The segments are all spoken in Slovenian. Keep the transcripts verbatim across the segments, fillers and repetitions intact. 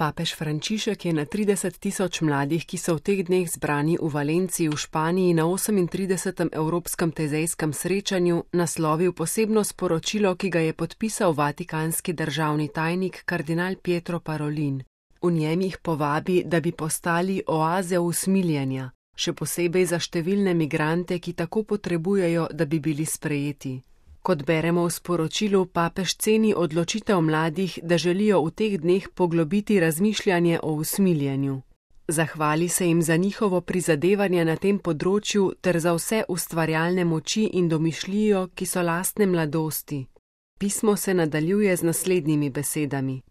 Papež Frančišek je na trideset tisoč mladih, ki so v teh dneh zbrani v Valenciji v Španiji na osemintridesetem Evropskem tezejskem srečanju, naslovil posebno sporočilo, ki ga je podpisal vatikanski državni tajnik kardinal Pietro Parolin. V njem jih povabi, da bi postali oaze usmiljenja, še posebej za številne migrante, ki tako potrebujejo, da bi bili sprejeti. Kot beremo v sporočilu, papež ceni odločitev mladih, da želijo v teh dneh poglobiti razmišljanje o usmiljenju. Zahvali se jim za njihovo prizadevanje na tem področju ter za vse ustvarjalne moči in domišljijo, ki so lastne mladosti. Pismo se nadaljuje z naslednjimi besedami.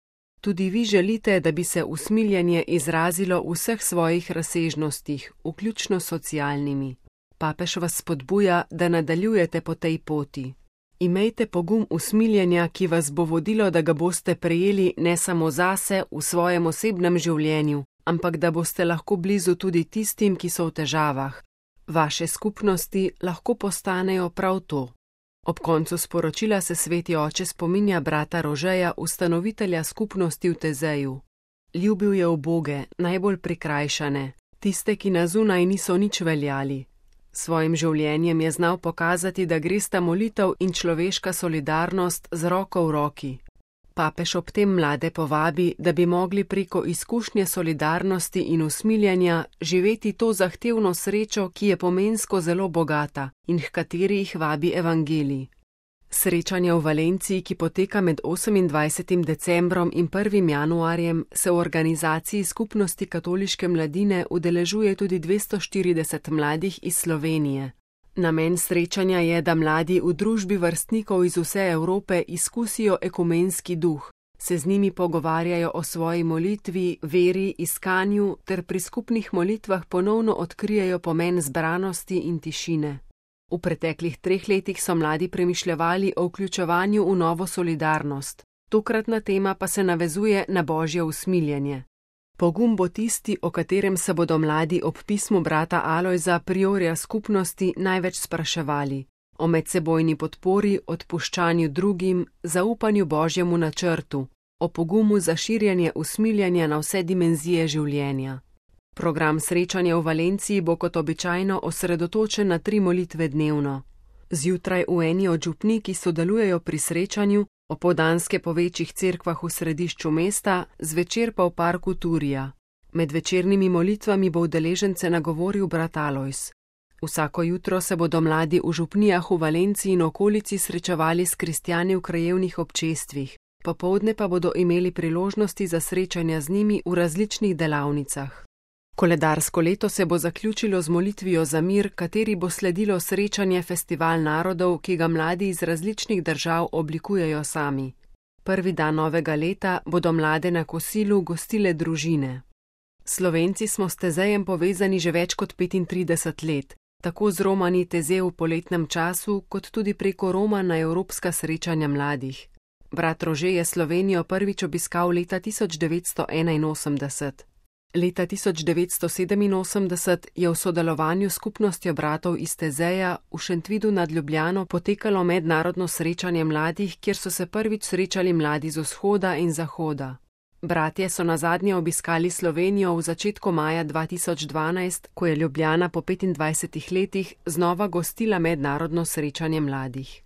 Tudi vi želite, da bi se usmiljenje izrazilo v vseh svojih razsežnostih, vključno socialnimi. Papež vas spodbuja, da nadaljujete po tej poti. Imejte pogum usmiljenja, ki vas bo vodilo, da ga boste prejeli ne samo zase v svojem osebnem življenju, ampak da boste lahko blizu tudi tistim, ki so v težavah. Vaše skupnosti lahko postanejo prav to. Ob koncu sporočila se sveti oče spominja brata Rožeja, ustanovitelja skupnosti v Tezeju. Ljubil je uboge, najbolj prikrajšane, tiste, ki na zunaj niso nič veljali. Svojim življenjem je znal pokazati, da gresta molitev in človeška solidarnost z roko v roki. Papež ob tem mlade povabi, da bi mogli preko izkušnje solidarnosti in usmiljenja živeti to zahtevno srečo, ki je pomensko zelo bogata in h kateri jih vabi evangelij. Srečanje v Valenciji, ki poteka med osemindvajsetim decembrom in prvim januarjem, se v organizaciji Skupnosti katoliške mladine udeležuje tudi dvesto štirideset mladih iz Slovenije. Namen srečanja je, da mladi v družbi vrstnikov iz vse Evrope izkusijo ekumenski duh, se z njimi pogovarjajo o svoji molitvi, veri, iskanju ter pri skupnih molitvah ponovno odkrijejo pomen zbranosti in tišine. V preteklih treh letih so mladi premišljevali o vključevanju v novo solidarnost, tokratna tema pa se navezuje na božje usmiljenje. Pogum bo tisti, o katerem se bodo mladi ob pismu brata Alojza, priorja skupnosti, največ spraševali. O medsebojni podpori, odpuščanju drugim, zaupanju božjemu načrtu, o pogumu za širjenje usmiljenja na vse dimenzije življenja. Program srečanja v Valenciji bo kot običajno osredotočen na tri molitve dnevno. Zjutraj v eni od župnij, ki sodelujejo pri srečanju, opoldanske po večjih cerkvah v središču mesta, zvečer pa v parku Turija. Med večernimi molitvami bo udeležence nagovoril brat Alojz. Vsako jutro se bodo mladi v župnijah v Valenciji in okolici srečevali s kristjani v krajevnih občestvih, popoldne pa bodo imeli priložnosti za srečanja z njimi v različnih delavnicah. Koledarsko leto se bo zaključilo z molitvijo za mir, kateri bo sledilo srečanje Festival narodov, ki ga mladi iz različnih držav oblikujejo sami. Prvi dan novega leta bodo mlade na kosilu gostile družine. Slovenci smo s Tezejem povezani že več kot petintrideset let, tako z romani Teze v poletnem času, kot tudi preko Roma na evropska srečanja mladih. Brat Rože je Slovenijo prvič obiskal leta tisoč devetsto enainosemdeset. Leta tisoč devetsto sedeminosemdeset je v sodelovanju s skupnostjo bratov iz Tezeja v Šentvidu nad Ljubljano potekalo mednarodno srečanje mladih, kjer so se prvič srečali mladi z vzhoda in zahoda. Bratje so nazadnje obiskali Slovenijo v začetku maja dva tisoč dvanajst, ko je Ljubljana po petindvajsetih letih znova gostila mednarodno srečanje mladih.